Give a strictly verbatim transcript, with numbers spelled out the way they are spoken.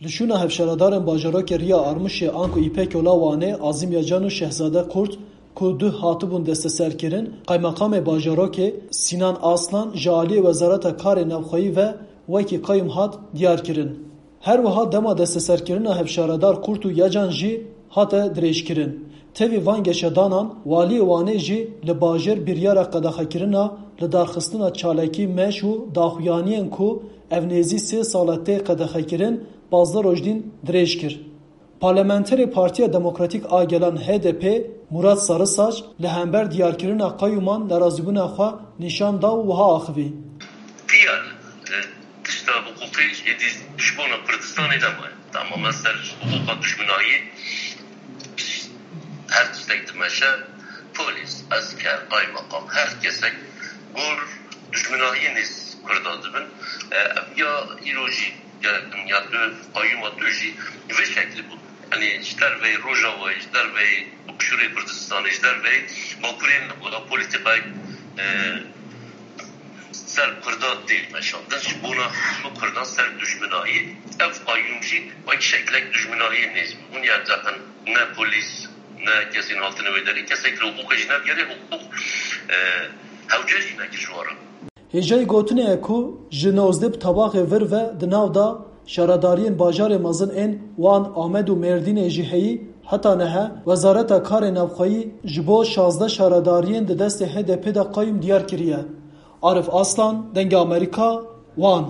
Li şûna hevşaredarên bajarokê Riya Armûşê anku Îpek Ola Wanê, Azim Yacan û Şehzade Kurt ku duh hatibûn desteserkirin, qaymeqamê bajarokê Sînan Aslan ji aliyê Wezareta Karê Navxweyî ve wekî qayûm hat diyarkirin. Her wiha dema desteserkirina hevşaredar Kurt û Yacan jî hate dirêjkirin. Tevî van geşedanan, Waliyê Wanê jî li bajêr biryara qedexekirina lidarxistina çalakî meş û daxuyaniyên ku ev nêzî sê sal e tê qedexekirin, pazdeh roj dîn dirêj kir. Parlamenterê Partiya Demokratîk a Gelan H D P Murat Sarısaç li hember diyarkirina qayûman nerazîbûna xwe nîşan da û wiha axivî. Diya, e, tişta hiqûqî êdî ji bona Kurdistanê nemaye. Tamamen ser hiqûqa dijminayî her tiştek dimeşe. Polîs, esker, qaymeqam, her kesek gor dijminayî nêz Kurdan dibin. E, ev ya îro jî ya, ya tu qayûma tu jî vê şeklî bû. Yanî ji derveyî Rojavayê, ji derveyî Başûrê Kurdistanê, ji derveyî Bakurê nabû, polîtîkayê, e, ser Kurda tê meşandin. Ji bona hemû Kurdan ser dijminayî. Ev qayûm jî wek şeklek dijminayî nêz bû. Hûn ya zaten ne polîs, ne kesên hatine wê derê, kesek li hiqûqê jî nebigerê, hiqûq, e, hewce jî nekir ji wan re. Hêjayî gotinê ye ku ji nozdeh bi tabaxê vir ve di nav de şaredariyên bajarê mezin ên Wan, Amed û Mêrdînê jî heyî, heta niha Wezareta Karê Navxweyî ji bo şazdeh şaredariyên di destê H D P de qayûm diyar kiriye. Arif Aslan, Dengê Amerîka, Wan.